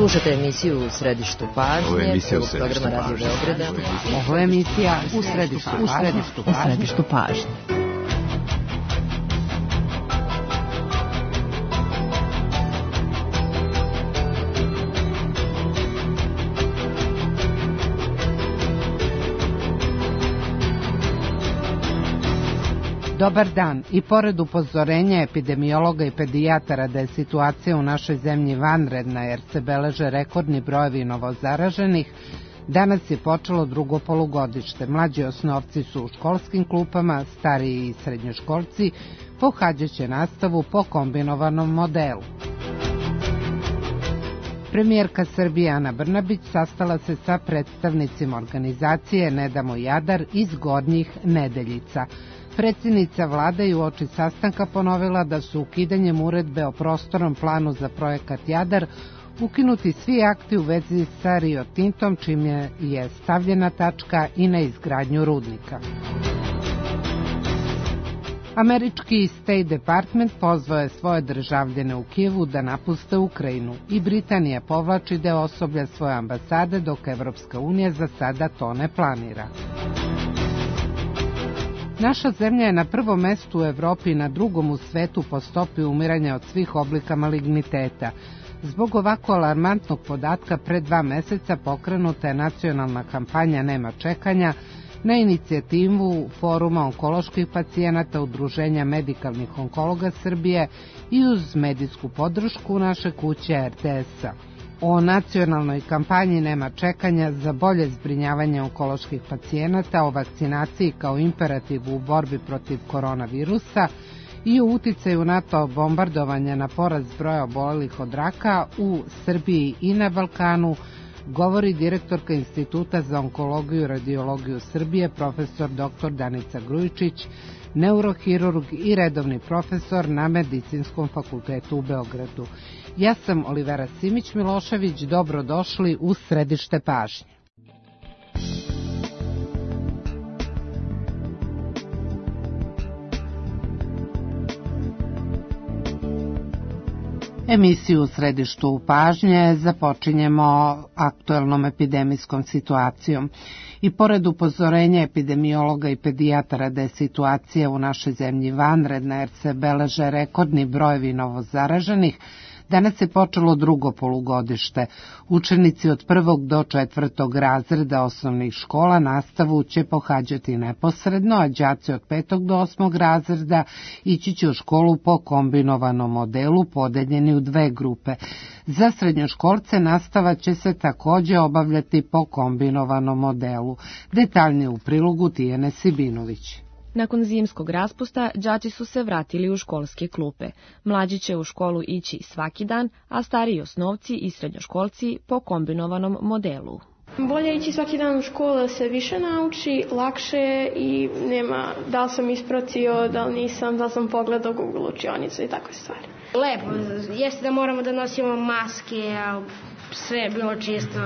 Slušate emisiju U središtu pažnje, programa Radio Beograda. Ovo je emisija U središtu pažnje. Dobar dan. I pored upozorenja epidemiologa i pedijatara da je situacija u našoj zemlji vanredna jer se beleže rekordni brojevi novozaraženih, danas je počelo drugo polugodište. Mlađi osnovci su u školskim klupama, stariji i srednjoškolci pohađaće nastavu po kombinovanom modelu. Premijerka Srbije Ana Brnabić sastala se sa predstavnicima organizacije Ne damo Jadar iz Gornjih Nedeljica. Predsjednica vlade je uoči sastanka ponovila da su ukidanjem uredbe o prostornom planu za projekat Jadar ukinuti svi akti u vezi sa Rio Tintom, čime je stavljena tačka i na izgradnju rudnika. Američki State Department pozvao je svoje državljane u Kijevu da napuste Ukrajinu i Britanija povlači deo osoblja svoje ambasade dok Evropska unija za sada to ne planira. Naša zemlja je na prvom mestu u Evropi i na drugom u svetu po stopi umiranja od svih oblika maligniteta. Zbog ovako alarmantnog podatka pred 2 meseca pokrenuta je nacionalna kampanja Nema čekanja na inicijativu Foruma onkoloških pacijenata Udruženja medikalnih onkologa Srbije i uz medijsku podršku naše kuće RTS-a. O nacionalnoj kampanji Nema čekanja za bolje zbrinjavanje onkoloških pacijenata, o vakcinaciji kao imperativu u borbi protiv koronavirusa i o uticaju NATO bombardovanja na porast broja obolelih od raka u Srbiji i na Balkanu, govori direktorka Instituta za onkologiju i radiologiju Srbije, profesor dr. Danica Grujičić, neurohirurg i redovni profesor na Medicinskom fakultetu u Beogradu. Ja sam Olivera Simić-Milošević, dobrodošli u središte pažnje. Emisiju u središtu pažnje započinjemo aktuelnom epidemijskom situacijom. I pored upozorenja epidemiologa i pedijatara da je situacija u našoj zemlji vanredna jer se beleže rekordni brojevi novozaraženih, danas je počelo drugo polugodište. Učenici od 1. do 4. razreda osnovnih škola nastavu će pohađati neposredno, a đaci od 5. do 8. razreda ići će u školu po kombinovanom modelu podeljeni u 2 grupe. Za srednjoškolce nastava će se također obavljati po kombinovanom modelu. Detaljnije u prilogu Tijene Sibinović. Nakon zimskog raspusta, đaci su se vratili u školske klupe. Mlađi će u školu ići svaki dan, a stariji osnovci i srednjoškolci po kombinovanom modelu. Bolje ići svaki dan u školu da se više nauči, lakše i nema da li sam ispratio, da li nisam, da li sam pogledao Google učionicu i takve stvari. Lepo, jeste da moramo da nosimo maske, a sve je bilo čisto.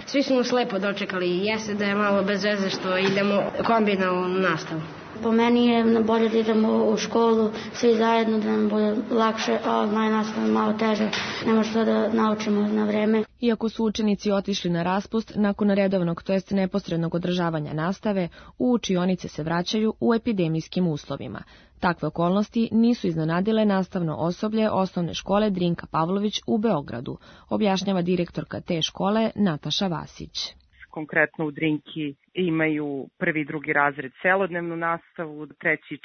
Svi smo nas lepo dočekali, jeste da je malo bez veze što idemo kombinovanu nastavu. Po meni je bolje da idemo u školu svi zajedno, da nam bude lakše, a online nastava je malo teže, ne može to da naučimo na vreme. Iako su učenici otišli na raspust, nakon redovnog, to jest neposrednog održavanja nastave, u učionice se vraćaju u epidemijskim uslovima. Takve okolnosti nisu iznenadile nastavno osoblje osnovne škole Drinka Pavlović u Beogradu, objašnjava direktorka te škole Nataša Vasić. Konkretno u Drinki imaju 1. i 2. razred celodnevnu nastavu, 3. i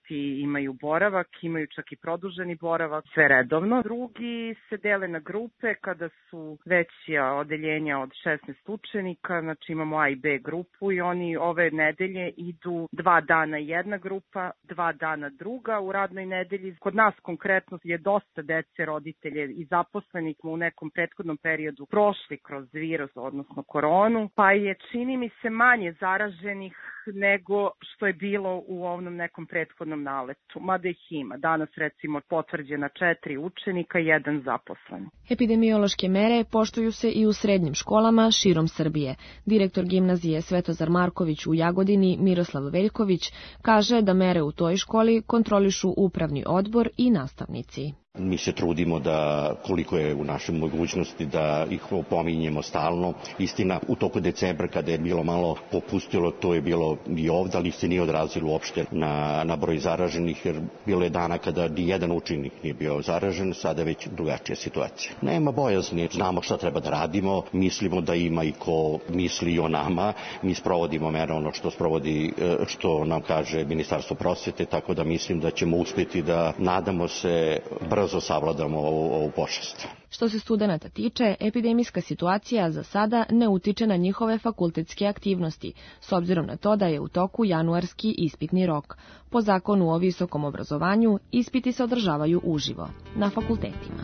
4. imaju boravak, imaju čak i produženi boravak, sve redovno. Drugi se dele na grupe kada su veća odeljenja od 16 učenika, znači imamo A i B grupu i oni ove nedelje idu 2 dana jedna grupa, 2 dana druga u radnoj nedelji. Kod nas konkretno je dosta dece, roditelje i zaposlenih u nekom prethodnom periodu prošli kroz virus, odnosno koronu, pa je čini mi se manje zaraženih nego što je bilo u ovom nekom prethodnom naletu, mada ih ima. Danas recimo potvrđena 4 učenika i 1 zaposlen. Epidemiološke mere poštuju se i u srednjim školama širom Srbije. Direktor gimnazije Svetozar Marković u Jagodini Miroslav Veljković kaže da mere u toj školi kontrolišu upravni odbor i nastavnici. Mi se trudimo da, koliko je u našoj mogućnosti, da ih opominjemo stalno. Istina, u toku decembra kada je bilo malo popustilo, to je bilo i ovdje, ali se nije odrazilo uopšte na broj zaraženih, jer bilo je dana kada ni jedan učenik nije bio zaražen, sada je već drugačija situacija. Nema bojazni, znamo šta treba da radimo, mislimo da ima i ko misli i o nama, mi sprovodimo mere ono što nam kaže Ministarstvo prosvete, tako da mislim da ćemo uspjeti da, nadamo se, brzo savladamo ovu pošast. Što se studenata tiče, epidemijska situacija za sada ne utiče na njihove fakultetske aktivnosti, s obzirom na to da je u toku januarski ispitni rok. Po zakonu o visokom obrazovanju, ispiti se održavaju uživo, na fakultetima.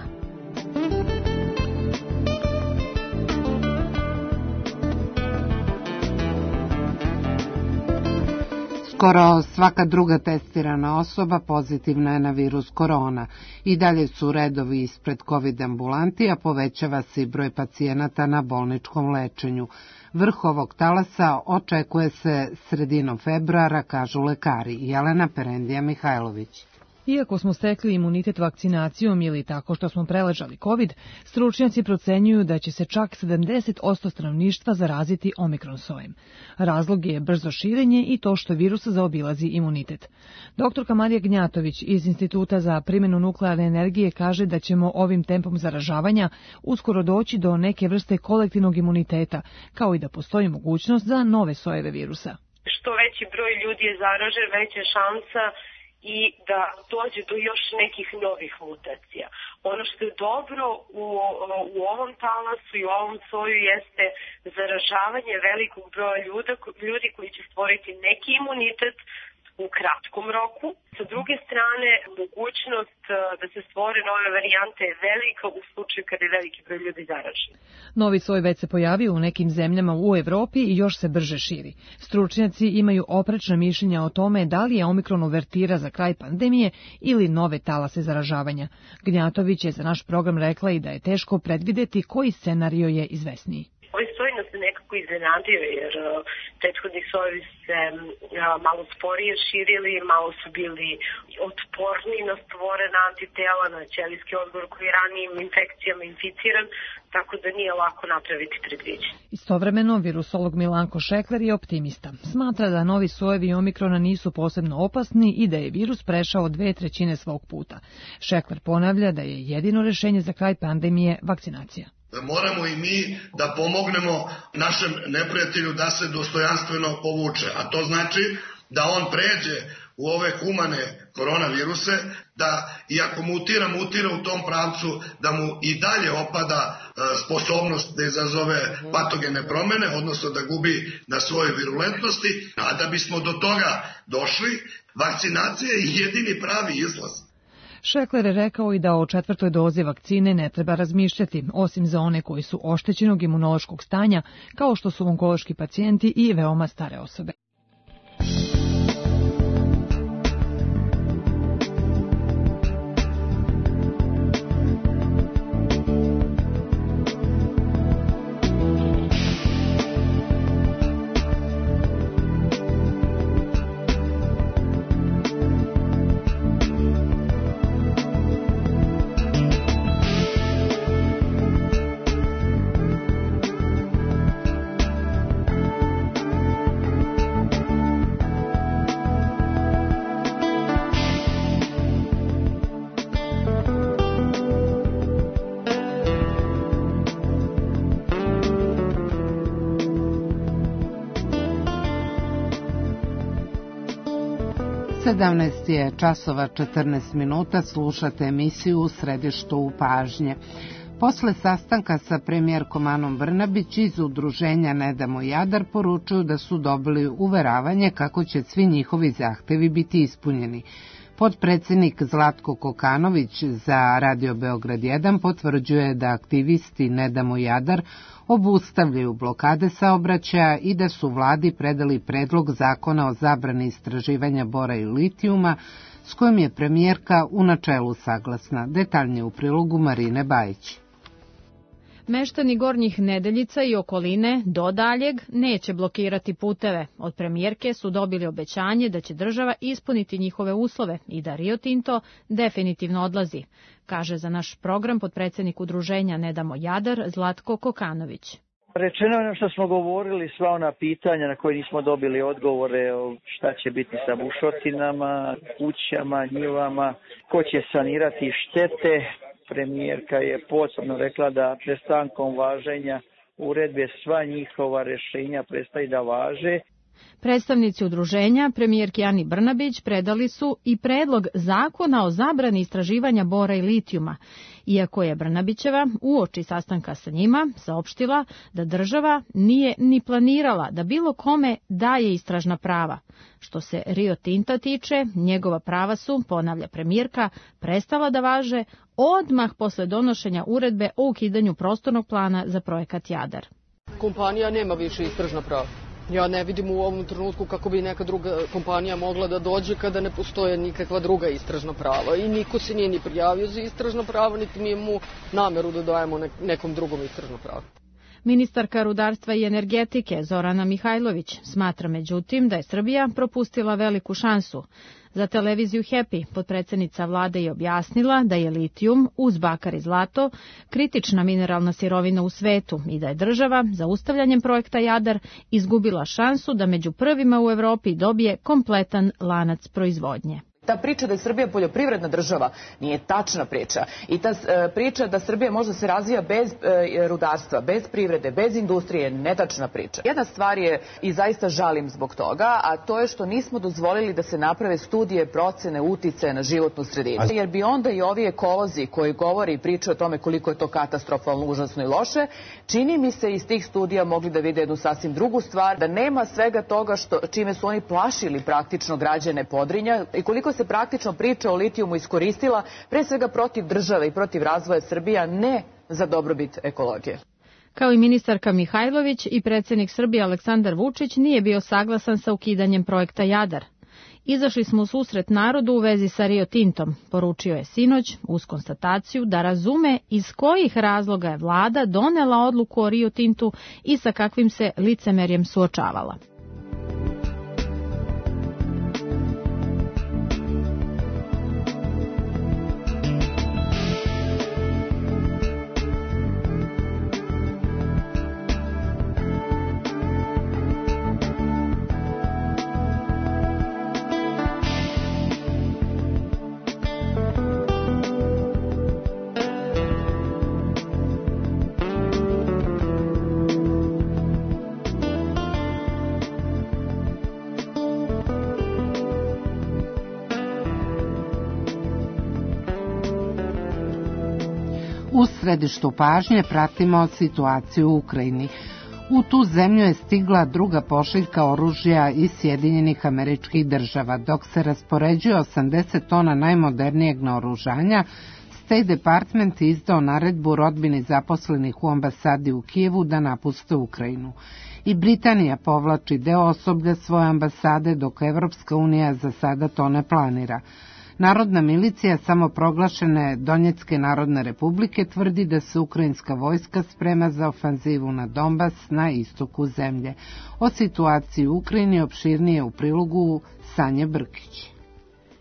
Skoro svaka druga testirana osoba pozitivna je na virus korona. I dalje su redovi ispred COVID ambulanti, a povećava se i broj pacijenata na bolničkom lečenju. Vrh ovog talasa očekuje se sredinom februara, kažu lekari. Jelena Perendija Mihajlović. Iako smo stekli imunitet vakcinacijom ili tako što smo preležali COVID, stručnjaci procenjuju da će se čak 70% stanovništva zaraziti omikron sojem. Razlog je brzo širenje i to što virus zaobilazi imunitet. Doktorka Marija Gnjatović iz Instituta za primjenu nuklearne energije kaže da ćemo ovim tempom zaražavanja uskoro doći do neke vrste kolektivnog imuniteta, kao i da postoji mogućnost za nove sojeve virusa. Što veći broj ljudi je zaražen, veća šansa i da dođe do još nekih novih mutacija. Ono što je dobro u ovom talasu i u ovom soju jeste zaražavanje velikog broja ljudi koji će stvoriti neki imunitet u kratkom roku. Sa druge strane, mogućnost da se stvore nove varijante je velika u slučaju kada je veliki broj ljudi zaražen. Novi soj već se pojavio u nekim zemljama u Evropi i još se brže širi. Stručnjaci imaju oprečna mišljenja o tome da li je omikron uvertira za kraj pandemije ili nove talase zaražavanja. Gnjatović je za naš program rekla i da je teško predvideti koji scenario je izvesniji. Ovaj soj nas je nekako iznenadio jer prethodni sojevi se malo sporije širili, malo su bili otporni na stvorena antitela, na ćelijski odgovor koji je ranijim infekcijama inficiran, tako da nije lako napraviti predviđenje. Istovremeno, virusolog Milanko Šekler je optimista. Smatra da novi sojevi omikrona nisu posebno opasni i da je virus prešao 2/3 svog puta. Šekler ponavlja da je jedino rešenje za kraj pandemije vakcinacija. Moramo i mi da pomognemo našem neprijatelju da se dostojanstveno povuče, a to znači da on pređe u ove humane koronaviruse, da iako mutira u tom pravcu, da mu i dalje opada sposobnost da izazove patogene promene, odnosno da gubi na svojoj virulentnosti, a da bismo do toga došli, vakcinacija je jedini pravi izlaz. Šekler je rekao i da o 4. dozi vakcine ne treba razmišljati, osim za one koji su oštećenog imunološkog stanja, kao što su onkološki pacijenti i veoma stare osobe. Je časova 14 minuta, slušate emisiju U središtu pažnje. Posle sastanka sa premijerkom Anom Brnabić iz udruženja Ne damo Jadar poručuju da su dobili uveravanje kako će svi njihovi zahtevi biti ispunjeni. Potpredsjednik Zlatko Kokanović za Radio Beograd 1 potvrđuje da aktivisti Ne damo Jadar obustavljaju blokade saobraćaja i da su vladi predali predlog zakona o zabrani istraživanja bora i litijuma, s kojim je premijerka u načelu saglasna. Detaljnije u prilogu Marine Bajić. Meštani Gornjih Nedeljica i okoline do daljeg neće blokirati puteve. Od premijerke su dobili obećanje da će država ispuniti njihove uslove i da Rio Tinto definitivno odlazi, kaže za naš program potpredsjednik udruženja Ne damo Jadar Zlatko Kokanović. Rečeno je što smo govorili, sva ona pitanja na koje nismo dobili odgovore, šta će biti sa bušotinama, kućama, njivama, ko će sanirati štete. Premijerka je posebno rekla da prestankom važenja uredbe sva njihova rješenja prestaju da važe. Predstavnici udruženja premijerki Ani Brnabić predali su i predlog zakona o zabrani istraživanja bora i litijuma, iako je Brnabićeva uoči sastanka sa njima saopštila da država nije ni planirala da bilo kome daje istražna prava. Što se Rio Tinta tiče, njegova prava su, ponavlja premijerka, prestala da važe odmah posle donošenja uredbe o ukidanju prostornog plana za projekat Jadar. Kompanija nema više istražna prava. Ja ne vidim u ovom trenutku kako bi neka druga kompanija mogla da dođe kada ne postoje nikakva druga istražna prava. I niko se nije ni prijavio za istražna prava, niti mi imamo nameru da dajemo nekom drugom istražno pravo. Ministarka rudarstva i energetike Zorana Mihajlović smatra međutim da je Srbija propustila veliku šansu. Za televiziju Happy potpredsjednica vlade je objasnila da je litijum uz bakar i zlato kritična mineralna sirovina u svetu i da je država zaustavljanjem projekta Jadar izgubila šansu da među prvima u Evropi dobije kompletan lanac proizvodnje. Ta priča da je Srbija poljoprivredna država nije tačna priča. I ta priča da Srbija možda se razvija bez rudarstva, bez privrede, bez industrije je netačna priča. Jedna stvar je, i zaista žalim zbog toga, a to je što nismo dozvolili da se naprave studije procene uticaja na životnu sredinu. Jer bi onda i ovi ekolozi koji govore i pričaju o tome koliko je to katastrofalno, užasno i loše, čini mi se iz tih studija mogli da vide jednu sasvim drugu stvar, da nema svega toga čime su oni plašili praktično građane Podrinja i koliko se praktično priča o litijumu iskoristila pre svega protiv države i protiv razvoja Srbije, a ne za dobrobit ekologije. Kao i ministarka Mihajlović i predsjednik Srbije Aleksandar Vučić nije bio saglasan sa ukidanjem projekta Jadar. Izašli smo u susret narodu u vezi sa Rio Tintom, poručio je sinoć uz konstataciju da razume iz kojih razloga je vlada donela odluku o Rio Tintu i sa kakvim se licemerjem suočavala. U središtu pažnje pratimo situaciju u Ukrajini. U tu zemlju je stigla druga pošiljka oružja iz Sjedinjenih Američkih Država. Dok se raspoređuje 80 tona najmodernijeg naoružanja, State Department je izdao naredbu rodbini zaposlenih u ambasadi u Kijevu da napuste Ukrajinu. I Britanija povlači deo osoblja svoje ambasade, dok Evropska unija za sada to ne planira. Narodna milicija samoproglašene Donjecke narodne republike tvrdi da se ukrajinska vojska sprema za ofanzivu na Donbas na istoku zemlje. O situaciji u Ukrajini opširnije u prilogu Sanje Brkić.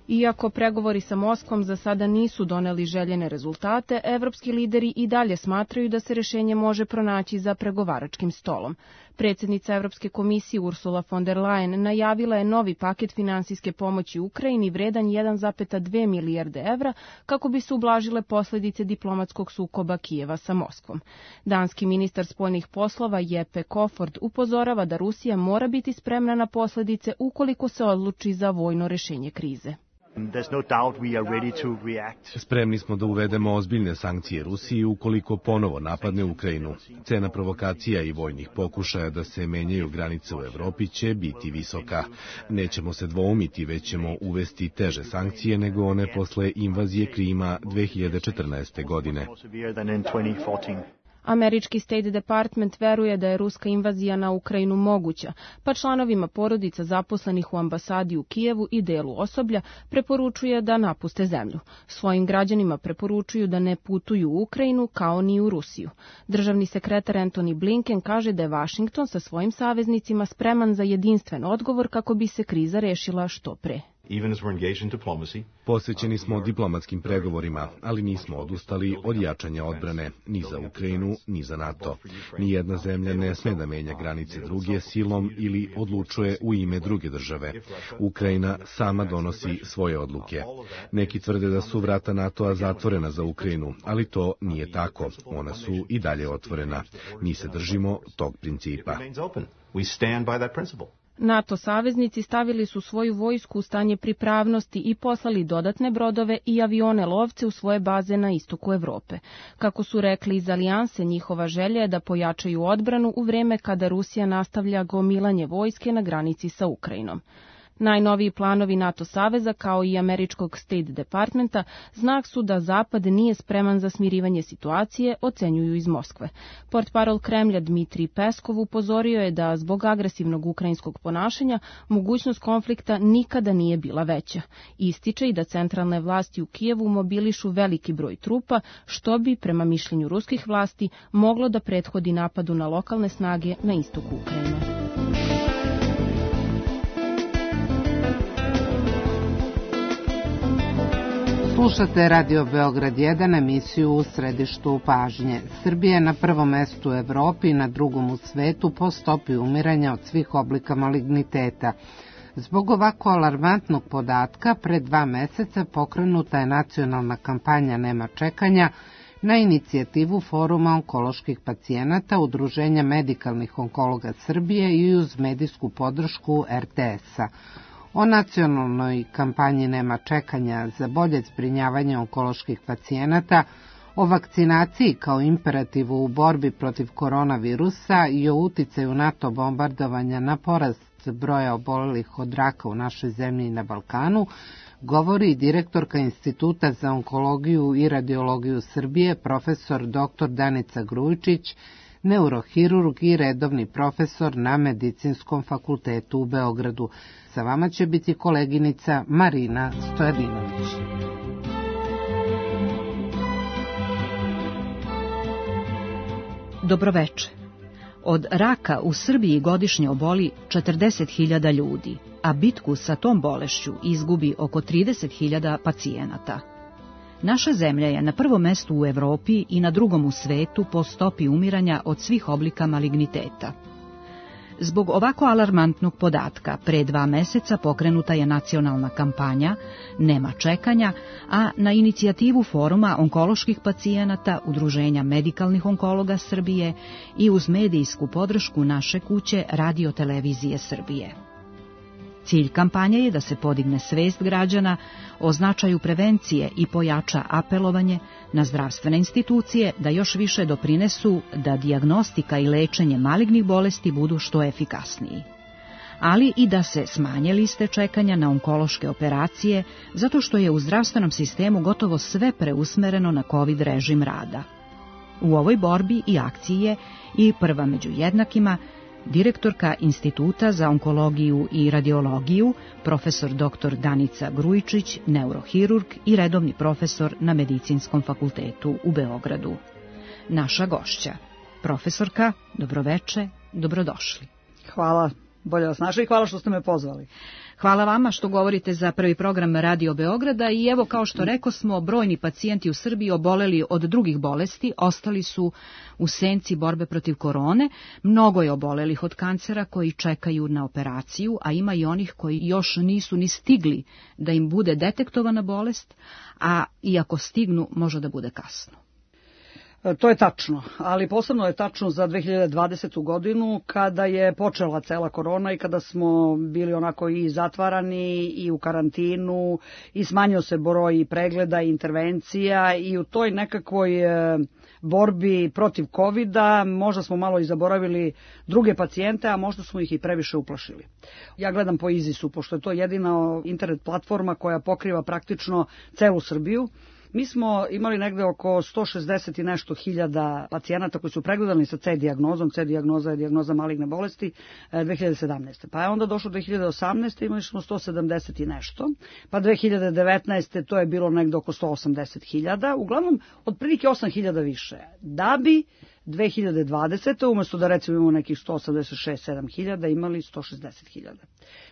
Iako pregovori sa Moskvom za sada nisu doneli željene rezultate, evropski lideri i dalje smatraju da se rješenje može pronaći za pregovaračkim stolom. Predsjednica Evropske komisije Ursula von der Leyen najavila je novi paket finansijske pomoći Ukrajini vredan 1,2 milijarde evra kako bi se ublažile posljedice diplomatskog sukoba Kijeva sa Moskvom. Danski ministar spoljnih poslova Jeppe Kofod upozorava da Rusija mora biti spremna na posljedice ukoliko se odluči za vojno rješenje krize. Spremni smo da uvedemo ozbiljne sankcije Rusiji ukoliko ponovo napadne Ukrajinu. Cena provokacija i vojnih pokušaja da se menjaju granice u Evropi će biti visoka. Nećemo se dvoumiti, već ćemo uvesti teže sankcije nego one posle invazije Krima 2014. godine. Američki State Department veruje da je ruska invazija na Ukrajinu moguća, pa članovima porodica zaposlenih u ambasadi u Kijevu i delu osoblja preporučuje da napuste zemlju. Svojim građanima preporučuju da ne putuju u Ukrajinu kao ni u Rusiju. Državni sekretar Antony Blinken kaže da je Vašington sa svojim saveznicima spreman za jedinstven odgovor kako bi se kriza rešila što pre. Posvećeni smo diplomatskim pregovorima, ali nismo odustali od jačanja odbrane ni za Ukrajinu, ni za NATO. Nijedna zemlja ne sme da menja granice druge silom ili odlučuje u ime druge države. Ukrajina sama donosi svoje odluke. Neki tvrde da su vrata NATO-a zatvorena za Ukrajinu, ali to nije tako. Ona su i dalje otvorena. Mi se držimo tog principa. NATO saveznici stavili su svoju vojsku u stanje pripravnosti i poslali dodatne brodove i avione lovce u svoje baze na istoku Evrope. Kako su rekli iz alijanse, njihova želja je da pojačaju odbranu u vreme kada Rusija nastavlja gomilanje vojske na granici sa Ukrajinom. Najnoviji planovi NATO saveza, kao i američkog State Departmenta, znak su da Zapad nije spreman za smirivanje situacije, ocenjuju iz Moskve. Portparol Kremlja Dmitrij Peskov upozorio je da zbog agresivnog ukrajinskog ponašanja mogućnost konflikta nikada nije bila veća. Ističe i da centralne vlasti u Kijevu mobilišu veliki broj trupa, što bi, prema mišljenju ruskih vlasti, moglo da prethodi napadu na lokalne snage na istoku Ukrajine. Slušate Radio Beograd 1, emisiju U središtu pažnje. Srbija je na prvom mestu u Evropi i na drugom u svetu po stopi umiranja od svih oblika maligniteta. Zbog ovako alarmantnog podatka, pre 2 meseca pokrenuta je nacionalna kampanja Nema čekanja na inicijativu Foruma onkoloških pacijenata, Udruženja medikalnih onkologa Srbije i uz medijsku podršku RTS-a. O nacionalnoj kampanji Nema čekanja za bolje zbrinjavanje onkoloških pacijenata, o vakcinaciji kao imperativu u borbi protiv koronavirusa i o uticaju NATO bombardovanja na porast broja obolelih od raka u našoj zemlji i na Balkanu, govori direktorka Instituta za onkologiju i radiologiju Srbije, profesor dr. Danica Grujičić, neurohirurg i redovni profesor na Medicinskom fakultetu u Beogradu. Sa vama će biti koleginica Marina Stojadinović. Dobroveče. Od raka u Srbiji godišnje oboli 40.000 ljudi, a bitku sa tom bolešću izgubi oko 30.000 pacijenata. Naša zemlja je na prvom mestu u Evropi i na drugom u svetu po stopi umiranja od svih oblika maligniteta. Zbog ovako alarmantnog podatka, pre 2 meseca pokrenuta je nacionalna kampanja Nema čekanja, a na inicijativu Foruma onkoloških pacijenata, Udruženja medikalnih onkologa Srbije i uz medijsku podršku naše kuće Radio-televizije Srbije. Cilj kampanje je da se podigne svest građana o značaju prevencije i pojača apelovanje na zdravstvene institucije da još više doprinesu da dijagnostika i lečenje malignih bolesti budu što efikasniji. Ali i da se smanje liste čekanja na onkološke operacije, zato što je u zdravstvenom sistemu gotovo sve preusmereno na COVID režim rada. U ovoj borbi i akciji je i prva među jednakima direktorka Instituta za onkologiju i radiologiju, profesor dr. Danica Grujičić, neurohirurg i redovni profesor na Medicinskom fakultetu u Beogradu. Naša gošća, profesorka, dobroveče, dobrodošli. Hvala, bolje vas našli i hvala što ste me pozvali. Hvala vama što govorite za prvi program Radio Beograda i evo kao što rekosmo, brojni pacijenti u Srbiji oboleli od drugih bolesti, ostali su u senci borbe protiv korone, mnogo je obolelih od kancera koji čekaju na operaciju, a ima i onih koji još nisu ni stigli da im bude detektovana bolest, a iako stignu može da bude kasno. To je tačno, ali posebno je tačno za 2020. godinu kada je počela cela korona i kada smo bili onako i zatvarani i u karantinu i smanjio se broj pregleda i intervencija i u toj nekakvoj borbi protiv covida možda smo malo i zaboravili druge pacijente, a možda smo ih i previše uplašili. Ja gledam po Izisu, pošto je to jedina internet platforma koja pokriva praktično celu Srbiju. Mi smo imali negde oko 160 i nešto hiljada pacijenata koji su pregledani sa C dijagnozom. C dijagnoza je dijagnoza maligne bolesti 2017. Pa je onda došlo 2018. imali smo 170 i nešto. Pa 2019. to je bilo negde oko 180 hiljada. Uglavnom, otprilike 8 hiljada više. Da bi 2020. umjesto da recimo imamo nekih 186-7 hiljada, imali 160 hiljada.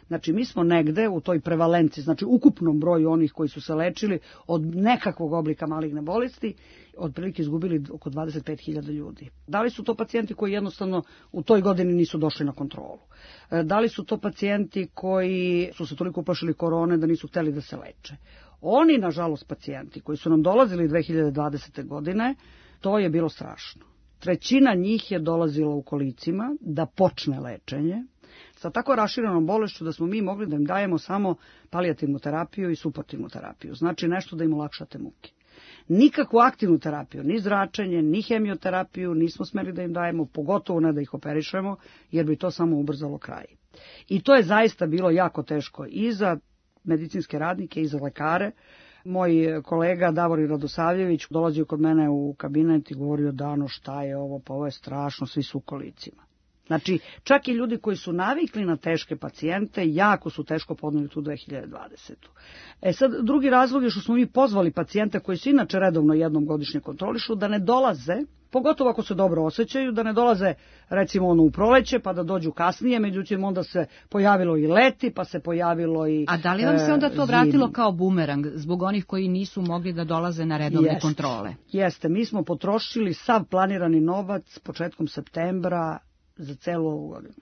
Znači mi smo negde u toj prevalenciji, znači ukupnom broju onih koji su se lečili od nekakvog oblika maligne bolesti, otprilike izgubili oko 25 hiljada ljudi. Da li su to pacijenti koji jednostavno u toj godini nisu došli na kontrolu? Da li su to pacijenti koji su se toliko uplašili korone da nisu hteli da se leče? Oni, nažalost, pacijenti koji su nam dolazili 2020. godine, to je bilo strašno. Trećina njih je dolazila u kolicima da počne lečenje sa tako raširenom bolešću da smo mi mogli da im dajemo samo palijativnu terapiju i suportivnu terapiju. Znači nešto da im olakšate muke. Nikakvu aktivnu terapiju, ni zračenje, ni hemioterapiju nismo smeli da im dajemo, pogotovo ne da ih operišemo, jer bi to samo ubrzalo kraj. I to je zaista bilo jako teško i za medicinske radnike i za lekare. Moj kolega Davorin Radosavljević dolazio kod mene u kabinet i govorio: Dano, šta je ovo, pa ovo je strašno, svi su u kolicima. Znači, čak i ljudi koji su navikli na teške pacijente, jako su teško podneli tu 2020. Sad, drugi razlog je što smo mi pozvali pacijente koji se inače redovno jednom godišnje kontrolišu da ne dolaze, pogotovo ako se dobro osjećaju, da ne dolaze recimo u proleće pa da dođu kasnije, međutim onda se pojavilo i leti, pa se pojavilo i A da li vam se onda to vratilo kao bumerang zbog onih koji nisu mogli da dolaze na redovne kontrole? Jeste, mi smo potrošili sav planirani novac početkom septembra za celu ovu godinu.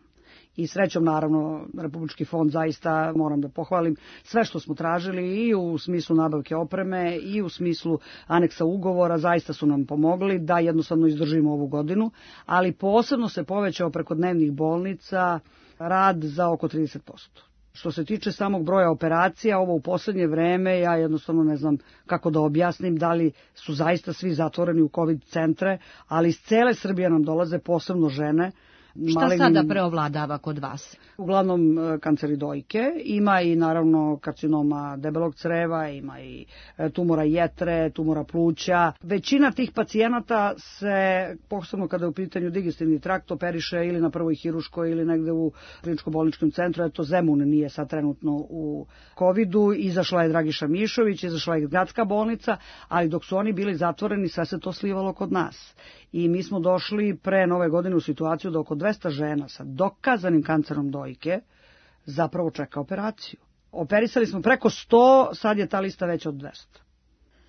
I srećom, naravno, Republički fond zaista, moram da pohvalim, sve što smo tražili i u smislu nabavke opreme i u smislu aneksa ugovora, zaista su nam pomogli da jednostavno izdržimo ovu godinu, ali posebno se povećao preko dnevnih bolnica rad za oko 30%. Što se tiče samog broja operacija, ovo u poslednje vreme, ja jednostavno ne znam kako da objasnim, da li su zaista svi zatvoreni u COVID centre, ali iz cele Srbije nam dolaze, posebno žene. Šta sada preovladava kod vas? Uglavnom kanceri dojke, ima i naravno karcinoma debelog creva, ima i tumora jetre, tumora pluća. Većina tih pacijenata se, posebno kada je u pitanju digestivni trakt, operiše ili na prvoj hiruškoj ili negde u kliničko-bolničkom centru. Eto, Zemun nije sad trenutno u COVID-u, izašla je Dragiša Mišović, izašla je gradska bolnica, ali dok su oni bili zatvoreni, sve se to slivalo kod nas. I mi smo došli pre nove godine u situaciju da oko 200 žena sa dokazanim kancerom dojke zapravo čeka operaciju. Operisali smo preko 100, sad je ta lista veća od 200.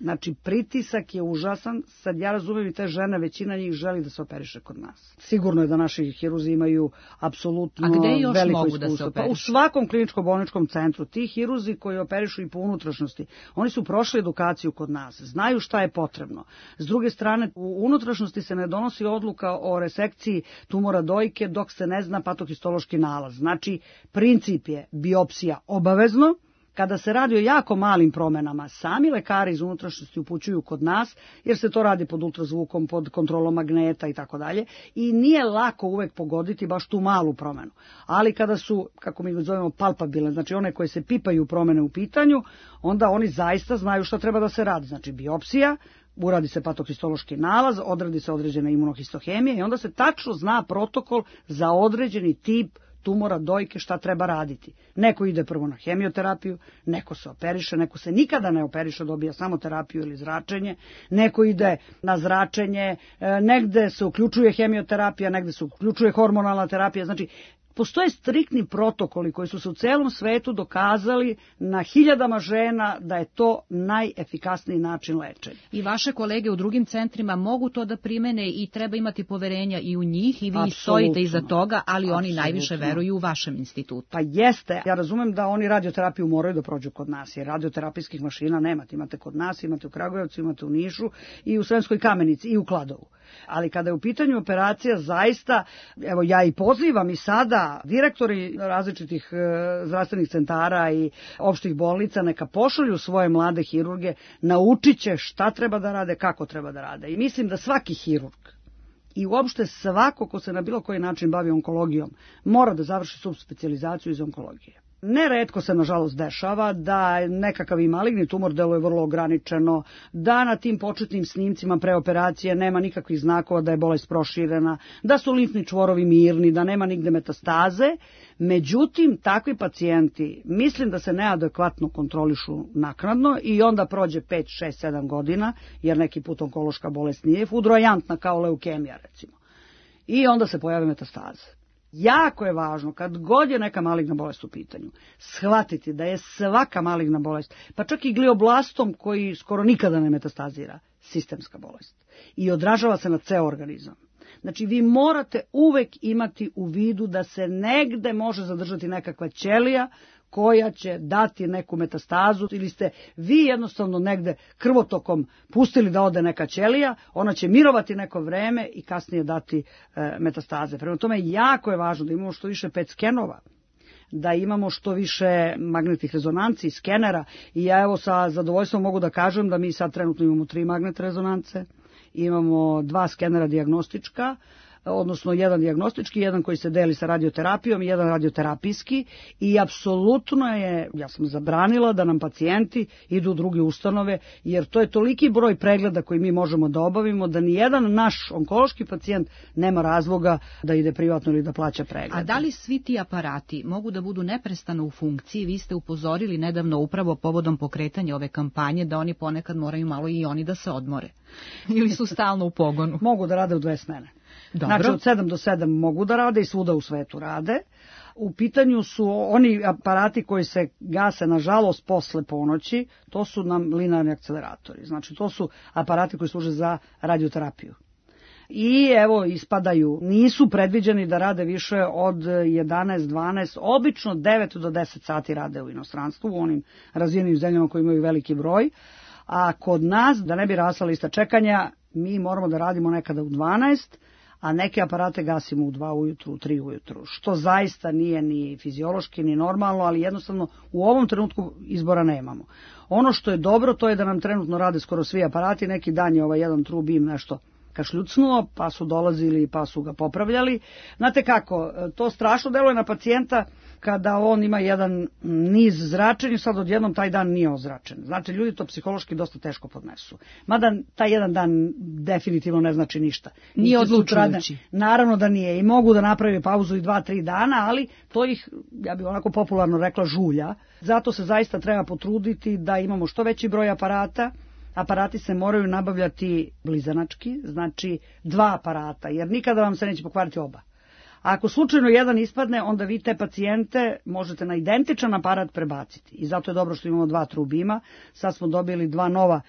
Znači, pritisak je užasan, sad ja razumem i te žene, većina njih želi da se operiše kod nas. Sigurno je da naši hiruzi imaju apsolutno veliko iskustvo. A gde još mogu da se operišu? Pa u svakom kliničko-bolničkom centru. Ti hiruzi koji operišu i po unutrašnjosti, oni su prošli edukaciju kod nas, znaju šta je potrebno. S druge strane, u unutrašnjosti se ne donosi odluka o resekciji tumora dojke dok se ne zna patohistološki nalaz. Znači, princip je biopsija obavezno. Kada se radi o jako malim promenama, sami lekari iz unutrašnjosti upućuju kod nas, jer se to radi pod ultrazvukom, pod kontrolom magneta i tako dalje, i nije lako uvek pogoditi baš tu malu promenu. Ali kada su, kako mi zovemo, palpabilne, znači one koje se pipaju promene u pitanju, onda oni zaista znaju šta treba da se radi. Znači biopsija, uradi se patohistološki nalaz, odradi se određena imunohistohemija i onda se tačno zna protokol za određeni tip tumora dojke šta treba raditi. Neko ide prvo na hemioterapiju, neko se operiše, neko se nikada ne operiše, dobija samo terapiju ili zračenje, neko ide na zračenje, negde se uključuje hemioterapija, negde se uključuje hormonalna terapija, znači postoje striktni protokoli koji su se u celom svetu dokazali na hiljadama žena da je to najefikasniji način lečenja. I vaše kolege u drugim centrima mogu to da primene i treba imati poverenja i u njih i vi stojite iza toga, ali oni najviše veruju u vašem institutu. Pa jeste, ja razumem da oni radioterapiju moraju da prođu kod nas, jer radioterapijskih mašina nemate, imate kod nas, imate u Kragujevcu, imate u Nišu i u Sremskoj Kamenici i u Kladovu. Ali kada je u pitanju operacija, zaista, evo ja i pozivam i sada direktori različitih zdravstvenih centara i opštih bolnica neka pošalju svoje mlade hirurge, naučit će šta treba da rade, kako treba da rade. I mislim da svaki hirurg i uopšte svako ko se na bilo koji način bavi onkologijom mora da završi subspecijalizaciju iz onkologije. Neretko se, nažalost, dešava da nekakav i maligni tumor deluje vrlo ograničeno, da na tim početnim snimcima pre operacije nema nikakvih znakova da je bolest proširena, da su limfni čvorovi mirni, da nema nigde metastaze. Međutim, takvi pacijenti mislim da se neadekvatno kontrolišu naknadno i onda prođe 5, 6, 7 godina, jer neki put onkološka bolest nije fudrojantna kao leukemija, recimo. I onda se pojave metastaze. Jako je važno, kad god je neka maligna bolest u pitanju, shvatiti da je svaka maligna bolest, pa čak i glioblastom koji skoro nikada ne metastazira, sistemska bolest. I odražava se na ceo organizam. Znači, vi morate uvek imati u vidu da se negde može zadržati nekakva ćelija koja će dati neku metastazu, ili ste vi jednostavno negde krvotokom pustili da ode neka ćelija, ona će mirovati neko vreme i kasnije dati metastaze. Prema tome, jako je važno da imamo što više PET skenova, da imamo što više magnetnih rezonanci, skenera, i ja evo sa zadovoljstvom mogu da kažem da mi sad trenutno imamo 3 magnetne rezonance, imamo 2 skenera dijagnostička, odnosno jedan dijagnostički, jedan koji se deli sa radioterapijom i jedan radioterapijski, i apsolutno je, ja sam zabranila da nam pacijenti idu u druge ustanove, jer to je toliki broj pregleda koji mi možemo da obavimo da nijedan naš onkološki pacijent nema razloga da ide privatno ili da plaća pregled. A da li svi ti aparati mogu da budu neprestano u funkciji? Vi ste upozorili nedavno upravo povodom pokretanja ove kampanje da oni ponekad moraju malo i oni da se odmore. Ili su stalno u pogonu? Mogu da rade u 2 smene. Dobro. Znači od 7 do 7 mogu da rade i svuda u svetu rade. U pitanju su oni aparati koji se gase nažalost posle ponoći, to su nam linearni akceleratori. Znači to su aparati koji služe za radioterapiju. I evo ispadaju, nisu predviđeni da rade više od 11, 12, obično 9 do 10 sati rade u inostranstvu, u onim razvijenim zemljama koji imaju veliki broj. A kod nas, da ne bi rasla lista čekanja, mi moramo da radimo nekada u 12, a neke aparate gasimo u 2 ujutru, u 3 ujutru, što zaista nije ni fiziološki, ni normalno, ali jednostavno u ovom trenutku izbora nemamo. Ono što je dobro, to je da nam trenutno rade skoro svi aparati, neki dan je jedan True Beam nešto kašljucnuo, pa su dolazili, pa su ga popravljali. Znate kako, to strašno deluje na pacijenta kada on ima jedan niz zračenja, sad odjednom taj dan nije ozračen. Znači, ljudi to psihološki dosta teško podnesu. Mada taj jedan dan definitivno ne znači ništa. Nije odlučujući. Naravno da nije. I mogu da naprave pauzu i 2-3 dana, ali to ih, ja bih onako popularno rekla, žulja. Zato se zaista treba potruditi da imamo što veći broj aparata. Aparati se moraju nabavljati blizanački, znači 2 aparata, jer nikada vam se neće pokvariti oba. A ako slučajno jedan ispadne, onda vi te pacijente možete na identičan aparat prebaciti. I zato je dobro što imamo 2 True Beama. Sad smo dobili 2 nova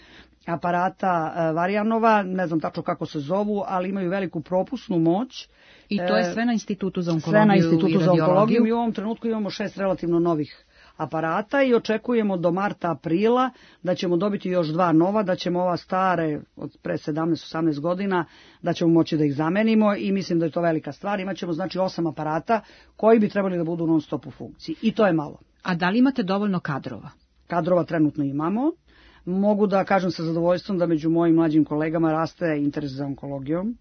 aparata Varianova, ne znam tačno kako se zovu, ali imaju veliku propusnu moć. I to je sve na Institutu za onkologiju sve na Institutu i za onkologiju. I u ovom trenutku imamo 6 relativno novih aparata i očekujemo do marta, aprila da ćemo dobiti još 2 nova, da ćemo ova stare od pre 17-18 godina, da ćemo moći da ih zamenimo i mislim da je to velika stvar. Imaćemo znači 8 aparata koji bi trebali da budu non stop u funkciji i to je malo. A da li imate dovoljno kadrova? Kadrova trenutno imamo. Mogu da kažem sa zadovoljstvom da među mojim mlađim kolegama raste interes za onkologijom.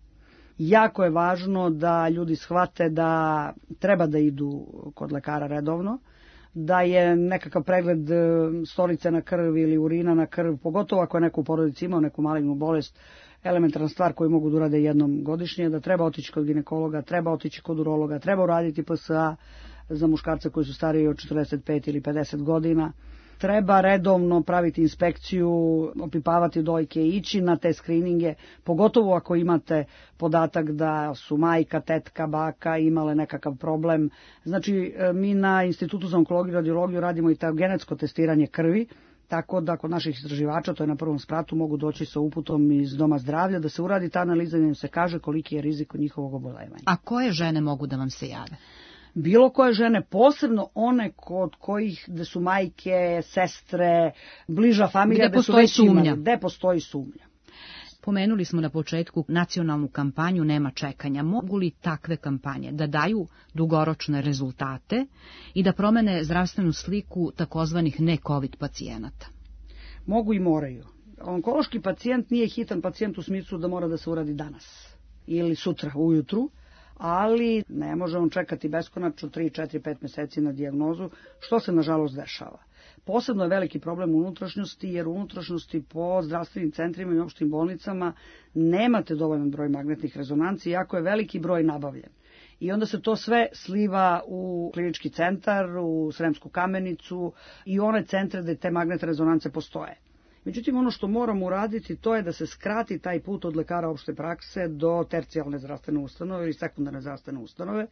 Jako je važno da ljudi shvate da treba da idu kod lekara redovno, da je nekakav pregled stolice na krv ili urina na krv, pogotovo ako je neko u porodici imao neku malignu bolest, elementarna stvar koju mogu da urade jednom godišnje, da treba otići kod ginekologa, treba otići kod urologa, treba uraditi PSA za muškarce koji su stariji od 45 ili 50 godina. Treba redovno praviti inspekciju, opipavati dojke, ići na te skrininge, pogotovo ako imate podatak da su majka, tetka, baka imale nekakav problem. Znači, mi na Institutu za onkologiju i radiologiju radimo i to genetsko testiranje krvi, tako da kod naših istraživača, to je na prvom spratu, mogu doći sa uputom iz Doma zdravlja, da se uradi ta analiza i da im se kaže koliki je rizik od njihovog oboljevanja. A koje žene mogu da vam se jave? Bilo koje žene, posebno one kod kojih gde su majke, sestre, bliža familija, gde postoji sumnja. Gde postoji sumnja. Pomenuli smo na početku nacionalnu kampanju Nema čekanja. Mogu li takve kampanje da daju dugoročne rezultate i da promene zdravstvenu sliku takozvanih ne-COVID pacijenata? Mogu i moraju. Onkološki pacijent nije hitan pacijent u smislu da mora da se uradi danas ili sutra ujutru, ali ne može on čekati beskonačno 3, 4, 5 meseci na dijagnozu, što se nažalost dešava. Posebno je veliki problem u unutrašnjosti, jer u unutrašnjosti po zdravstvenim centrima i opštim bolnicama nemate dovoljan broj magnetnih rezonanci, iako je veliki broj nabavljen. I onda se to sve sliva u klinički centar, u Sremsku Kamenicu i one centre gde te magnetne rezonance postoje. Međutim, ono što moramo uraditi to je da se skrati taj put od lekara opšte prakse do tercijalne zdravstvene ustanove ili sekundarne zdravstvene ustanove.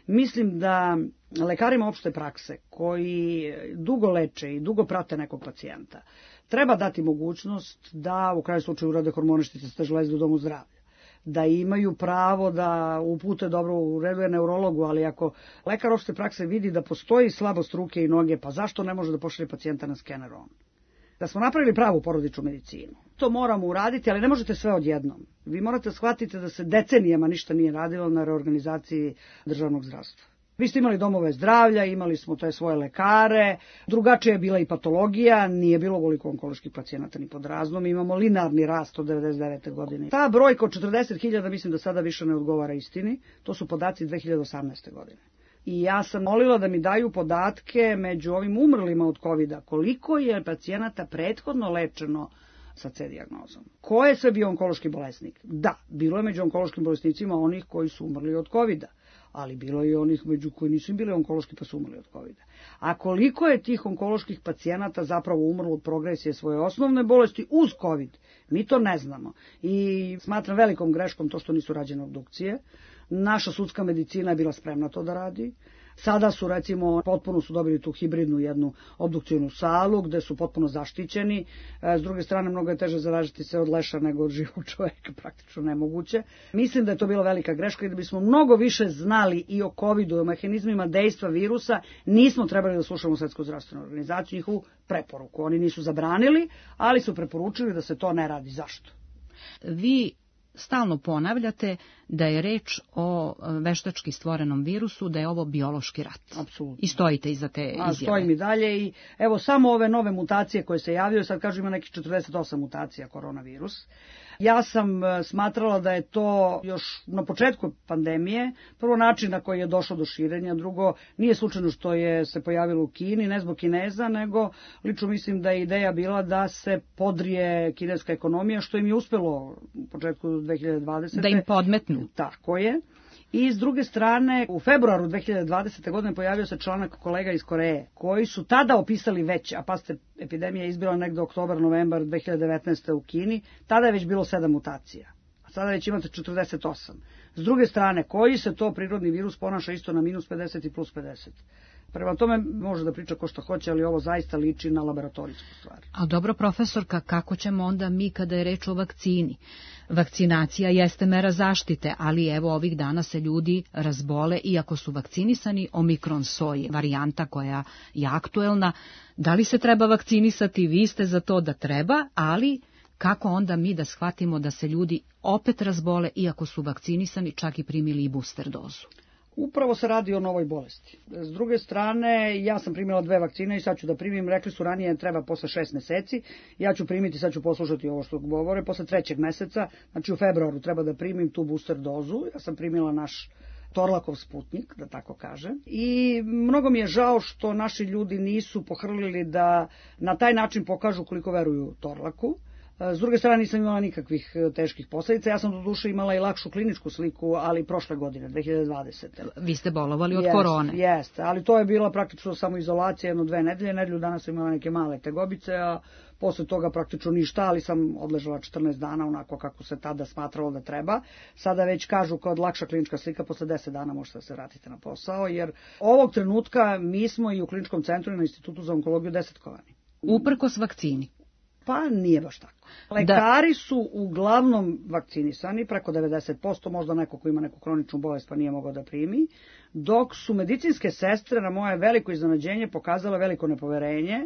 Mislim da lekarima opšte prakse koji dugo leče i dugo prate nekog pacijenta treba dati mogućnost da u kraju slučaju urade hormoničnice železde u domu zdravlja, da imaju pravo da upute, dobro, u redu je neurologu, ali ako lekar opšte prakse vidi da postoji slabost ruke i noge, pa zašto ne može da pošalje pacijenta na skener on? Da smo napravili pravu porodičnu medicinu. To moramo uraditi, ali ne možete sve odjednom. Vi morate shvatiti da se decenijama ništa nije radilo na reorganizaciji državnog zdravstva. Vi ste imali domove zdravlja, imali smo te svoje lekare, drugačija je bila i patologija, nije bilo ovoliko onkoloških pacijenata ni pod raznom, imamo linearni rast od 99. godine. Ta brojka od 40.000 mislim da sada više ne odgovara istini, to su podaci 2018. godine. I ja sam molila da mi daju podatke među ovim umrlima od COVID-a, koliko je pacijenata prethodno lečeno sa C dijagnozom. Ko je sve bio onkološki bolesnik? Da, bilo je među onkološkim bolesnicima onih koji su umrli od COVID-a, ali bilo je onih među koji nisu bili onkološki pa su umrli od COVID-a. A koliko je tih onkoloških pacijenata zapravo umrlo od progresije svoje osnovne bolesti uz COVID? Mi to ne znamo. I smatram velikom greškom to što nisu rađene obdukcije. Naša sudska medicina je bila spremna to da radi. Sada su, recimo, potpuno su dobili tu hibridnu jednu obdukcijnu salu gde su potpuno zaštićeni. S druge strane, mnogo je teže zaražiti se od leša nego od živog čoveka, praktično nemoguće. Mislim da je to bila velika greška i da bismo mnogo više znali i o COVID-u, i o mehanizmima dejstva virusa, nismo trebali da slušamo Svetsku zdravstvenu organizaciju, njihovu preporuku. Oni nisu zabranili, ali su preporučili da se to ne radi. Zašto? Vi stalno ponavljate da je reč o veštački stvorenom virusu, da je ovo biološki rat. Apsolutno. I stojite iza te izjave. Stojim i dalje i evo samo ove nove mutacije koje se javljaju, sad kažu ima nekih 48 mutacija koronavirus. Ja sam smatrala da je to još na početku pandemije, prvo način na koji je došlo do širenja, drugo nije slučajno što je se pojavilo u Kini, ne zbog Kineza, nego lično mislim da je ideja bila da se podrije kineska ekonomija, što im je uspelo u početku 2020. Da im podmetnu. Tako je. I s druge strane, u februaru 2020. godine pojavio se članak kolega iz Koreje, koji su tada opisali već, a pa ste epidemija izbila negde oktobar, novembar 2019. u Kini, tada je već bilo 7 mutacija, a sada već imate 48. S druge strane, koji se to prirodni virus ponaša isto na minus 50 i plus 50. Prema tome može da priča ko što hoće, ali ovo zaista liči na laboratorijsku stvar. A dobro, profesorka, kako ćemo onda mi kada je reč o vakcini? Vakcinacija jeste mera zaštite, ali evo ovih dana se ljudi razbole, iako su vakcinisani, omikron soj, varijanta koja je aktuelna. Da li se treba vakcinisati? Vi ste za to da treba, ali kako onda mi da shvatimo da se ljudi opet razbole, iako su vakcinisani, čak i primili i booster dozu? Upravo se radi o novoj bolesti. S druge strane, ja sam primila 2 vakcine i sad ću da primim, rekli su ranije treba posle 6 meseci, ja ću primiti, sad ću poslušati ovo što govore, posle 3. meseca, znači u februaru treba da primim tu booster dozu, ja sam primila naš Torlakov Sputnik, da tako kažem, i mnogo mi je žao što naši ljudi nisu pohrlili da na taj način pokažu koliko veruju Torlaku. S druge strane nisam imala nikakvih teških posljedica, ja sam do duše imala i lakšu kliničku sliku, ali prošle godine, 2020. Vi ste bolovali od korone. Jeste, ali to je bila praktično samo izolacija, 1-2 nedelje, nedelju dana sam imala neke male tegobice, a posle toga praktično ništa, ali sam odležala 14 dana onako kako se tada smatralo da treba. Sada već kažu kao lakša klinička slika, posle 10 dana možete da se vratite na posao, jer ovog trenutka mi smo i u kliničkom centru i na Institutu za onkologiju desetkovani. Uprkos vakcini. Pa nije baš tako. Lekari su uglavnom vakcinisani, preko 90%, možda neko ko ima neku kroničnu bolest pa nije mogao da primi, dok su medicinske sestre na moje veliko iznenađenje pokazale veliko nepoverenje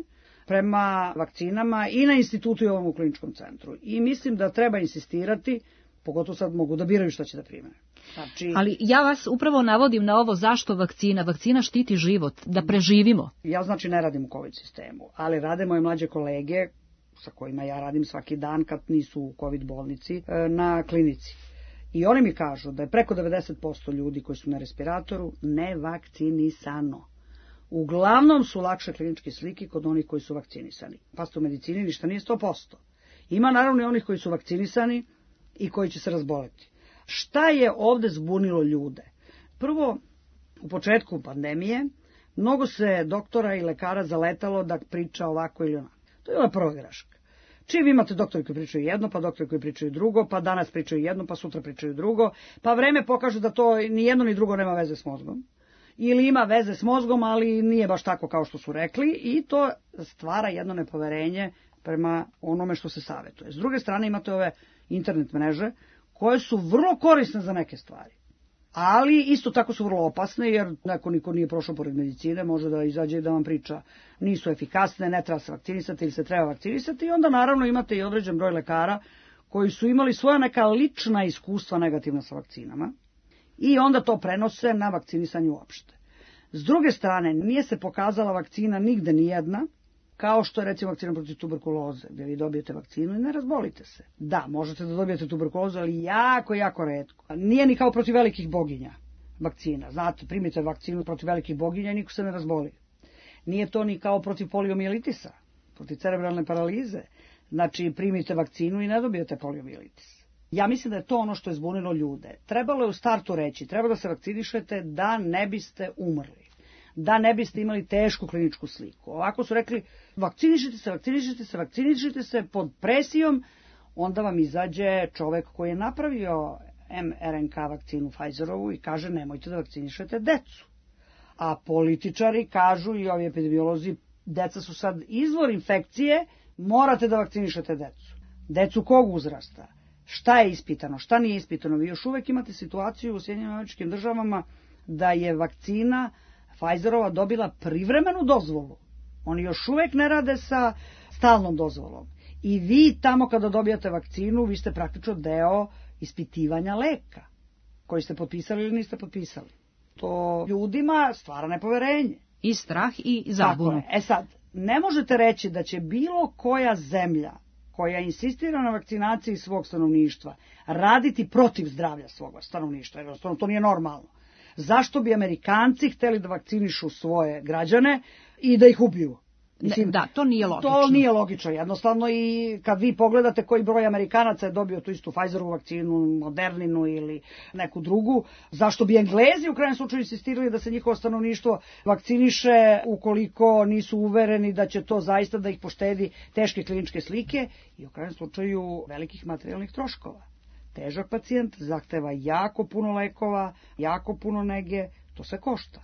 prema vakcinama i na institutu i ovom u kliničkom centru. I mislim da treba insistirati, pogotovo sad mogu da biraju šta će da prime. Znači, ali ja vas upravo navodim na ovo zašto vakcina. Vakcina štiti život, da preživimo. Ja znači ne radim u COVID sistemu, ali rade moje mlađe kolege sa kojima ja radim svaki dan kad nisu u COVID bolnici na klinici. I oni mi kažu da je preko 90% ljudi koji su na respiratoru nevakcinisano. Uglavnom su lakše kliničke slike kod onih koji su vakcinisani. Pa u medicini ništa nije 100%. Ima naravno i onih koji su vakcinisani i koji će se razboleti. Šta je ovde zbunilo ljude? Prvo, u početku pandemije, mnogo se doktora i lekara zaletalo da priča ovako ili onako. To je bila prva greška. Čim imate doktori koji pričaju jedno, pa doktori koji pričaju drugo, pa danas pričaju jedno, pa sutra pričaju drugo, pa vreme pokaže da to ni jedno ni drugo nema veze s mozgom. Ili ima veze s mozgom, ali nije baš tako kao što su rekli i to stvara jedno nepoverenje prema onome što se savetuje. S druge strane imate ove internet mreže koje su vrlo korisne za neke stvari. Ali isto tako su vrlo opasne, jer niko nije prošao pored medicine, može da izađe i da vam priča nisu efikasne, ne treba se vakcinisati ili se treba vakcinisati i onda naravno imate i određen broj lekara koji su imali svoja neka lična iskustva negativna sa vakcinama i onda to prenose na vakcinisanje uopšte. S druge strane, nije se pokazala vakcina nigde nijedna, kao što je recimo vakcina protiv tuberkuloze, gdje vi dobijete vakcinu i ne razbolite se. Da, možete da dobijete tuberkulozu, ali jako, jako retko. Nije ni kao protiv velikih boginja vakcina. Znate, primite vakcinu protiv velikih boginja i niko se ne razboli. Nije to ni kao protiv poliomijelitisa, protiv cerebralne paralize. Znači, primite vakcinu i ne dobijete poliomielitis. Ja mislim da je to ono što je zbunilo ljude. Trebalo je u startu reći, treba da se vakcinišete da ne biste umrli, da ne biste imali tešku kliničku sliku. Ovako su rekli, vakcinišite se pod presijom, onda vam izađe čovek koji je napravio mRNK vakcinu Pfizerovu i kaže nemojte da vakcinišete decu. A političari kažu i ovi epidemiolozi, deca su sad izvor infekcije, morate da vakcinišete decu. Decu kog uzrasta? Šta je ispitano, šta nije ispitano? Vi još uvek imate situaciju u Sjedinjenim Američkim Državama da je vakcina Pfizerova dobila privremenu dozvolu. Oni još uvek ne rade sa stalnom dozvolom. I vi tamo kada dobijate vakcinu, vi ste praktično deo ispitivanja leka, koji ste potpisali ili niste potpisali. To ljudima stvara nepoverenje. I strah i zabunu. Sad, ne možete reći da će bilo koja zemlja koja insistira na vakcinaciji svog stanovništva raditi protiv zdravlja svog stanovništva. Jednostavno, to nije normalno. Zašto bi Amerikanci hteli da vakcinišu svoje građane i da ih ubiju? Mislim, da, to nije logično. To nije logično, jednostavno i kad vi pogledate koji broj Amerikanaca je dobio tu istu Pfizerovu vakcinu, Moderninu ili neku drugu, zašto bi Englezi u krajnjem slučaju insistirali da se njihovo stanovništvo vakciniše ukoliko nisu uvereni da će to zaista da ih poštedi teške kliničke slike i u krajnjem slučaju velikih materijalnih troškova. Težak pacijent zahteva jako puno lekova, jako puno nege, to sve košta.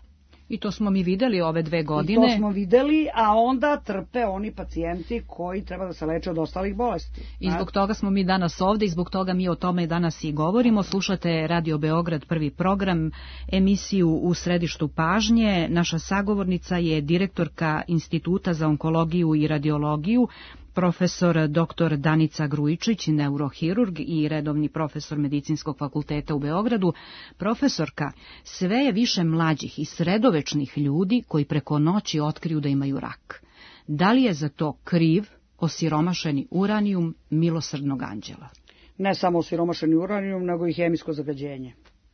I to smo mi videli ove 2 godine. I to smo videli, a onda trpe oni pacijenti koji treba da se leče od ostalih bolesti. I zbog toga smo mi danas ovde i zbog toga mi o tome danas i govorimo. Slušate Radio Beograd, prvi program, emisiju U središtu pažnje. Naša sagovornica je direktorka Instituta za onkologiju i radiologiju, profesor dr. Danica Grujičić, neurohirurg i redovni profesor Medicinskog fakulteta u Beogradu. Profesorka, sve je više mlađih i sredovečnih ljudi koji preko noći otkriju da imaju rak. Da li je za to kriv osiromašeni uranijum milosrdnog anđela? Ne samo osiromašeni uranijum, nego i hemijsko zagađenje.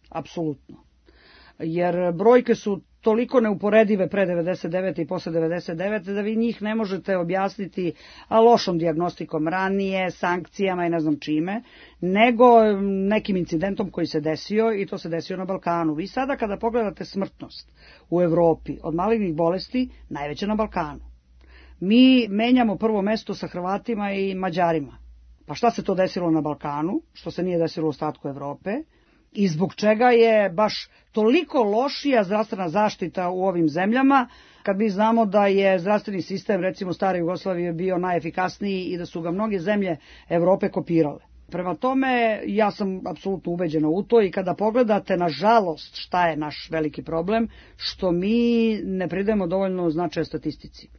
Apsolutno. Jer brojke su toliko neuporedive pre 99. i posle 99. da vi njih ne možete objasniti lošom dijagnostikom ranije, sankcijama i ne znam čime, nego nekim incidentom koji se desio i to se desio na Balkanu. Vi sada kada pogledate smrtnost u Evropi od malignih bolesti, najveća na Balkanu. Mi menjamo prvo mesto sa Hrvatima i Mađarima. Pa šta se to desilo na Balkanu, što se nije desilo u ostatku Evrope? I zbog čega je baš toliko lošija zdravstvena zaštita u ovim zemljama, kad mi znamo da je zdravstveni sistem, recimo stare Jugoslavije, bio najefikasniji i da su ga mnoge zemlje Evrope kopirale. Prema tome, ja sam apsolutno ubeđena u to i kada pogledate, nažalost, šta je naš veliki problem, što mi ne pridajemo dovoljno značaja statistici.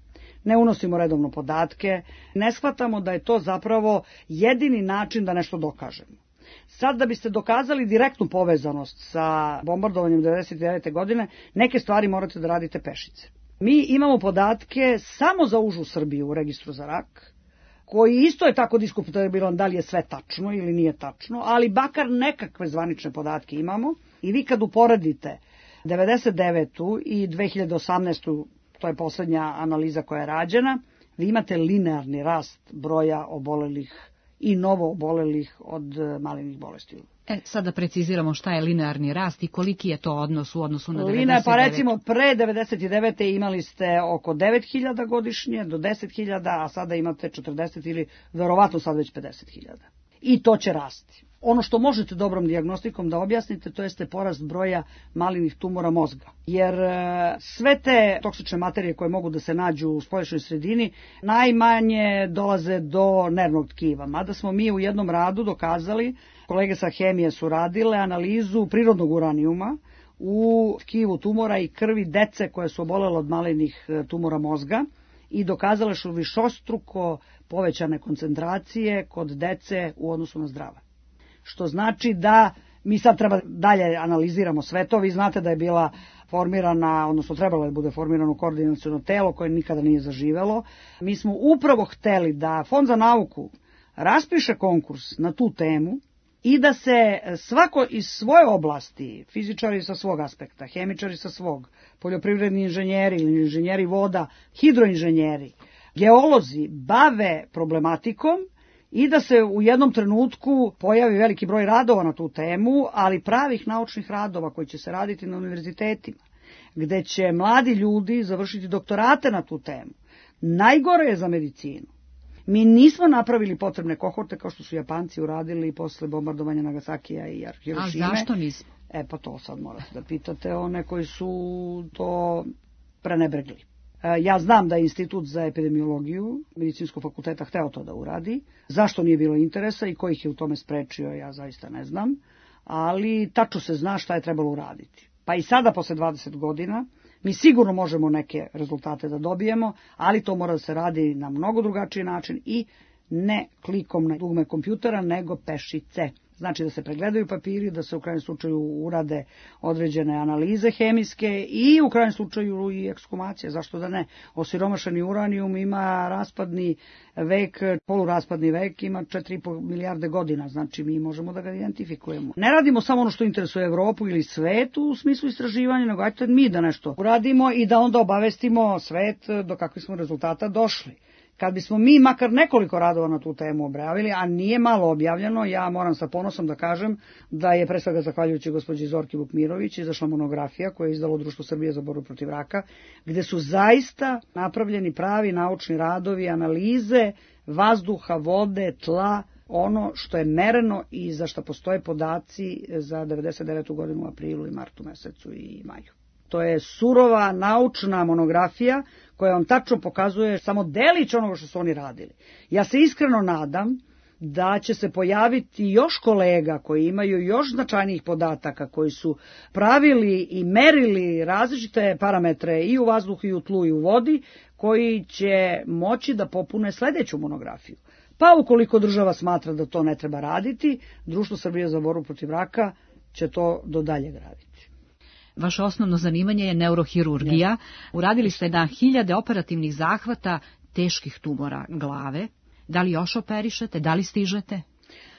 Ne unosimo redovno podatke, ne shvatamo da je to zapravo jedini način da nešto dokažemo. Sad da biste dokazali direktnu povezanost sa bombardovanjem 1999. godine, neke stvari morate da radite pešice. Mi imamo podatke samo za užu Srbiju u registru za rak, koji isto je tako diskutabilan da li je sve tačno ili nije tačno, ali bakar nekakve zvanične podatke imamo i vi kad uporedite 99. i 2018. to je poslednja analiza koja je rađena, vi imate linearni rast broja obolelih i novo obolelih od malignih bolesti. Sada preciziramo šta je linearni rast i koliki je to odnos u odnosu na 99. Pa recimo pre 99. imali ste oko 9.000 godišnje do 10.000, a sada imate 40 ili verovatno sad već 50.000. I to će rasti. Ono što možete dobrom dijagnostikom da objasnite, to jeste porast broja malignih tumora mozga. Jer sve te toksične materije koje mogu da se nađu u spoljašnjoj sredini najmanje dolaze do nervnog tkiva. Mada smo mi u jednom radu dokazali, kolege sa hemije su radile analizu prirodnog uranijuma u tkivu tumora i krvi dece koje su obolele od malignih tumora mozga i dokazale su višestruko povećane koncentracije kod dece u odnosu na zdrave. Što znači da mi sad treba dalje analiziramo sve to. Vi znate da je bila formirana, odnosno trebalo je bude formirano koordinaciono telo koje nikada nije zaživelo. Mi smo upravo hteli da Fond za nauku raspiše konkurs na tu temu i da se svako iz svoje oblasti, fizičari sa svog aspekta, hemičari sa svog, poljoprivredni inženjeri ili inženjeri voda, hidroinženjeri, geolozi bave problematikom i da se u jednom trenutku pojavi veliki broj radova na tu temu, ali pravih naučnih radova koji će se raditi na univerzitetima, gde će mladi ljudi završiti doktorate na tu temu. Najgore je za medicinu. Mi nismo napravili potrebne kohorte kao što su Japanci uradili posle bombardovanja Nagasakija i Hirošime. A zašto nismo? Pa to sad morate da pitate one koji su to prenebregli. Ja znam da je Institut za epidemiologiju Medicinskog fakulteta hteo to da uradi. Zašto nije bilo interesa i ko ih je u tome sprečio, ja zaista ne znam. Ali tačno se zna šta je trebalo uraditi. Pa i sada, posle 20 godina, mi sigurno možemo neke rezultate da dobijemo, ali to mora da se radi na mnogo drugačiji način i ne klikom na dugme kompjutera, nego pešice. Znači da se pregledaju papiri, da se u krajnjem slučaju urade određene analize hemijske i u krajnjem slučaju i ekshumacije. Zašto da ne? Osiromašeni uranijum ima raspadni vek, poluraspadni vek, ima 4,5 milijarde godina, znači mi možemo da ga identifikujemo. Ne radimo samo ono što interesuje Evropu ili svet u smislu istraživanja, nego ajte mi da nešto uradimo i da onda obavestimo svet do kakvih smo rezultata došli. Kad bismo mi makar nekoliko radova na tu temu objavili, a nije malo objavljeno, ja moram sa ponosom da kažem da je pre svega zahvaljujući gospođi Zorki Vukmirović izašla monografija koju je izdalo Društvo Srbije za borbu protiv raka, gde su zaista napravljeni pravi naučni radovi, analize vazduha, vode, tla, ono što je mereno i za što postoje podaci za 99. godinu u aprilu i martu mesecu i maju. To je surova naučna monografija koja vam tačno pokazuje samo delić onoga što su oni radili. Ja se iskreno nadam da će se pojaviti još kolega koji imaju još značajnijih podataka, koji su pravili i merili različite parametre i u vazduhu i u tlu i u vodi, koji će moći da popune sledeću monografiju. Pa ukoliko država smatra da to ne treba raditi, Društvo Srbije za borbu protiv raka će to do daljeg raditi. Vaše osnovno zanimanje je neurohirurgija. Uradili ste na 1000 operativnih zahvata teških tumora glave. Da li još operišete? Da li stižete?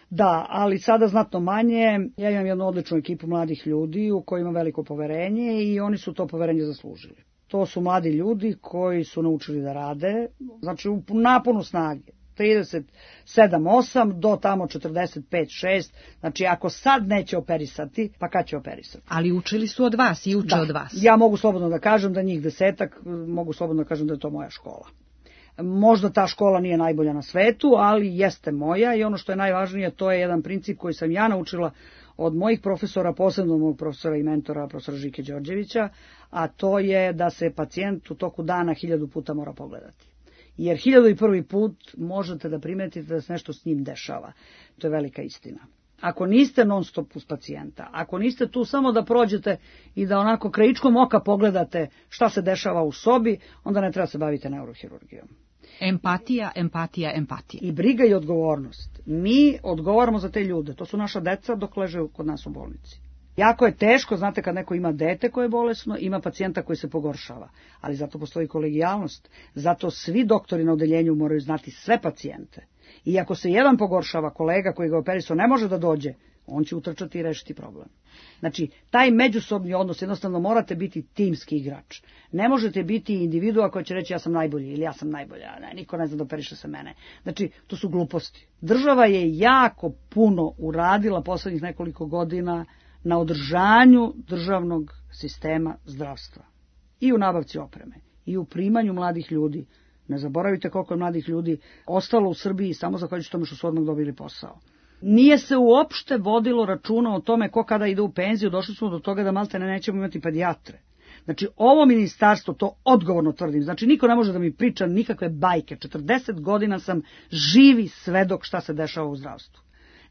Da, ali sada znatno manje. Ja imam jednu odličnu ekipu mladih ljudi u kojima veliko poverenje i oni su to poverenje zaslužili. To su mladi ljudi koji su naučili da rade, znači u naponu snage. 37-8 do tamo 45-6, znači ako sad neće operisati, pa kad će operisati? Ali učili su od vas i uče od vas. Ja mogu slobodno da kažem da njih 10, mogu slobodno da kažem da je to moja škola. Možda ta škola nije najbolja na svetu, ali jeste moja i ono što je najvažnije, to je jedan princip koji sam ja naučila od mojih profesora, posebno mojeg profesora i mentora, profesora Žike Đorđevića, a to je da se pacijent u toku dana 1000 puta mora pogledati. Jer 1001. put možete da primetite da se nešto s njim dešava. To je velika istina. Ako niste non stop uz pacijenta, ako niste tu samo da prođete i da onako krajičkom oka pogledate šta se dešava u sobi, onda ne treba se baviti neurohirurgijom. Empatija, empatija, empatija. I briga i odgovornost. Mi odgovaramo za te ljude. To su naša deca dok leže kod nas u bolnici. Jako je teško, znate, kad neko ima dete koje je bolesno, ima pacijenta koji se pogoršava, ali zato postoji kolegijalnost, zato svi doktori na odeljenju moraju znati sve pacijente. I ako se jedan pogoršava, kolega koji ga operisao ne može da dođe, on će utrčati i rešiti problem. Znači, taj međusobni odnos, jednostavno morate biti timski igrač. Ne možete biti individua koja će reći ja sam najbolji ili ja sam najbolja, ne, niko ne zna da operiše se mene. Znači, to su gluposti. Država je jako puno uradila poslednjih nekoliko godina na održanju državnog sistema zdravstva. I u nabavci opreme, i u primanju mladih ljudi. Ne zaboravite koliko je mladih ljudi ostalo u Srbiji samo zahvaljujući tome što su odmah dobili posao. Nije se uopšte vodilo računa o tome ko kada ide u penziju, došli smo do toga da maltene nećemo imati pedijatre. Znači, ovo ministarstvo, to odgovorno tvrdim, znači niko ne može da mi priča nikakve bajke. 40 godina sam živi svedok šta se dešava u zdravstvu.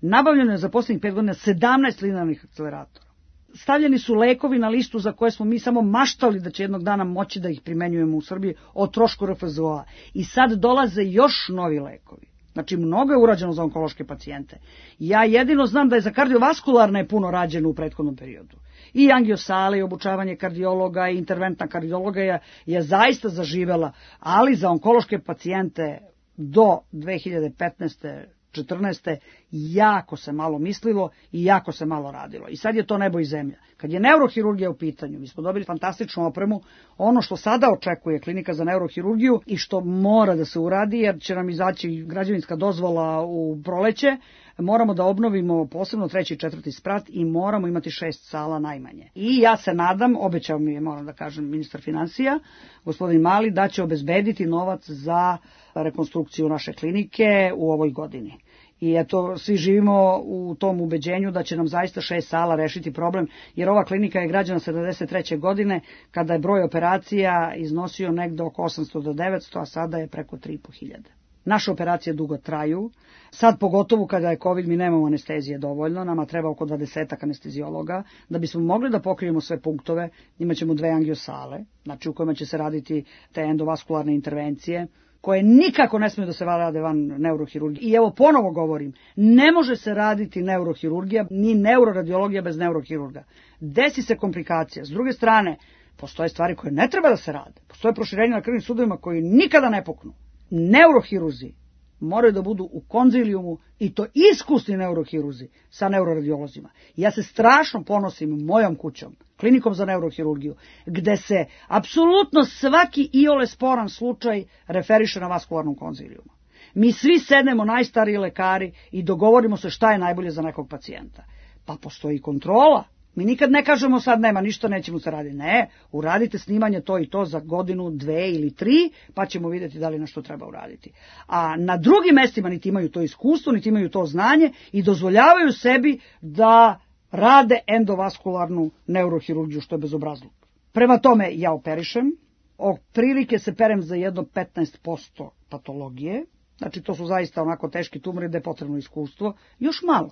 Nabavljeno je za poslednjih 5 godina 17 linearnih akceleratora. Stavljeni su lekovi na listu za koje smo mi samo maštali da će jednog dana moći da ih primenjujemo u Srbiji o trošku RFZO-a. I sad dolaze još novi lekovi. Znači, mnogo je urađeno za onkološke pacijente. Ja jedino znam da je za kardiovaskularne puno rađeno u prethodnom periodu. I angiosale, i obučavanje kardiologa, i interventna kardiologa je zaista zaživela, ali za onkološke pacijente do 2015. 14. jako se malo mislilo i jako se malo radilo. I sad je to nebo i zemlja. Kad je neurohirurgija u pitanju, mi smo dobili fantastičnu opremu, ono što sada očekuje klinika za neurohirurgiju i što mora da se uradi, jer će nam izaći građevinska dozvola u proleće, moramo da obnovimo posebno 3. i 4. sprat i moramo imati 6 sala najmanje. I ja se nadam, obećao mi je, moram da kažem, ministar finansija, gospodin Mali, da će obezbediti novac za rekonstrukciju naše klinike u ovoj godini. I eto, svi živimo u tom ubeđenju da će nam zaista 6 sala rešiti problem, jer ova klinika je građana 73. godine, kada je broj operacija iznosio negde oko 800 do 900, a sada je preko 3.500. Naše operacije dugo traju. Sad, pogotovo kada je COVID, mi nemamo anestezije dovoljno, nama treba oko 20 anestezijologa. Da bismo mogli da pokrijemo sve punktove, imaćemo 2 angiosale, znači u kojima će se raditi te endovaskularne intervencije, koje nikako ne smiju da se rade van neurohirurgije. I evo ponovo govorim, ne može se raditi neurohirurgija, ni neuroradiologija bez neurohirurga. Desi se komplikacija. S druge strane, postoje stvari koje ne treba da se rade. Postoje proširenja na krvnim sudovima koji nikada ne puknu. Neurohiruzi moraju da budu u konzilijumu, i to iskusni neurohiruzi sa neuroradiolozima. Ja se strašno ponosim mojom kućom, klinikom za neurohirurgiju, gde se apsolutno svaki iole sporan slučaj referiše na vaskularnom konzilijumu. Mi svi sednemo, najstariji lekari, i dogovorimo se šta je najbolje za nekog pacijenta. Pa postoji kontrola. Mi nikad ne kažemo sad nema ništa, nećemo se raditi. Ne, uradite snimanje to i to za godinu, 2 ili 3, pa ćemo vidjeti da li nešto treba uraditi. A na drugim mestima niti imaju to iskustvo, niti imaju to znanje i dozvoljavaju sebi da rade endovaskularnu neurohirurgiju, što je bezobrazluk. Prema tome, ja operišem, otprilike se perem za jedno 15% patologije, znači to su zaista onako teški tumori da je potrebno iskustvo, još malo.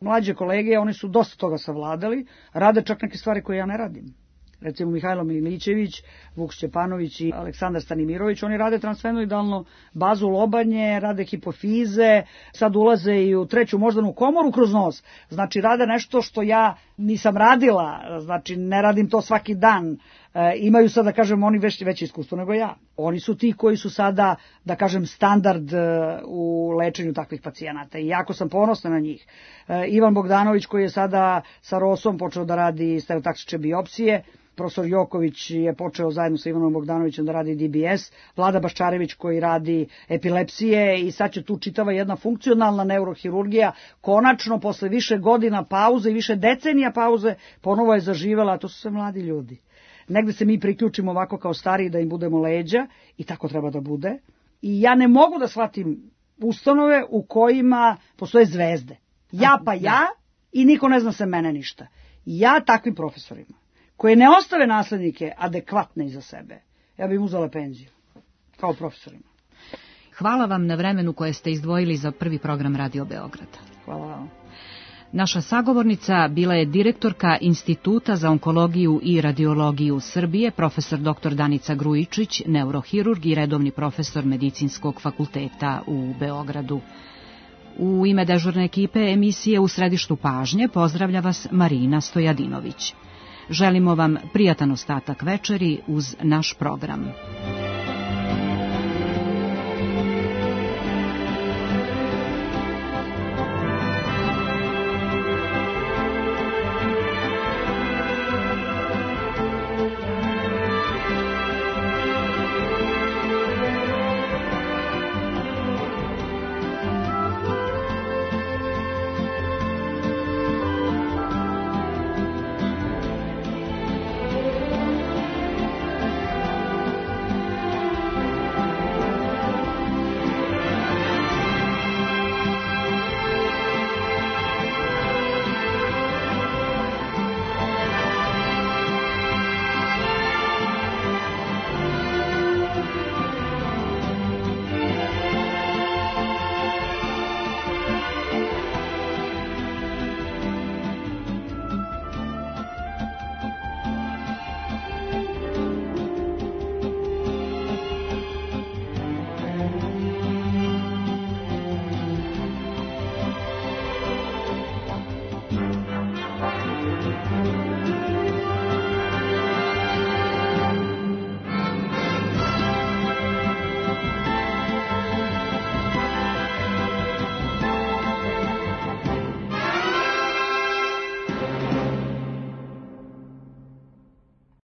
Mlađe kolege, oni su dosta toga savladali, rade čak neke stvari koje ja ne radim. Recimo Mihajlo Milićević, Vuk Šćepanović i Aleksandar Stanimirović, oni rade transfenoidalnu bazu lobanje, rade hipofize, sad ulaze i u 3. moždanu komoru kroz nos. Znači rade nešto što ja nisam radila, znači ne radim to svaki dan. Imaju sad, da kažem, oni veće iskustvo nego ja. Oni su ti koji su sada, da kažem, standard u lečenju takvih pacijenata i jako sam ponosna na njih. Ivan Bogdanović, koji je sada sa Rosom počeo da radi stereotaksične biopsije, profesor Joković je počeo zajedno sa Ivanom Bogdanovićem da radi DBS, Vlada Baščarević koji radi epilepsije i sad će tu čitava jedna funkcionalna neurohirurgija, konačno posle više godina pauze i više decenija pauze ponovo je zaživela, a to su sve mladi ljudi. Negde se mi priključimo ovako kao stariji da im budemo leđa i tako treba da bude. I ja ne mogu da shvatim ustanove u kojima postoje zvezde. Ja pa ja i niko ne zna se mene ništa. Ja takvim profesorima koje ne ostave naslednike adekvatne iza sebe, ja bih im uzela penziju kao profesorima. Hvala vam na vremenu koje ste izdvojili za prvi program Radio Beograda. Hvala vam. Naša sagovornica bila je direktorka Instituta za onkologiju i radiologiju Srbije, profesor dr. Danica Grujičić, neurohirurg i redovni profesor Medicinskog fakulteta u Beogradu. U ime dežurne ekipe emisije U središtu pažnje pozdravlja vas Marina Stojadinović. Želimo vam prijatan ostatak večeri uz naš program.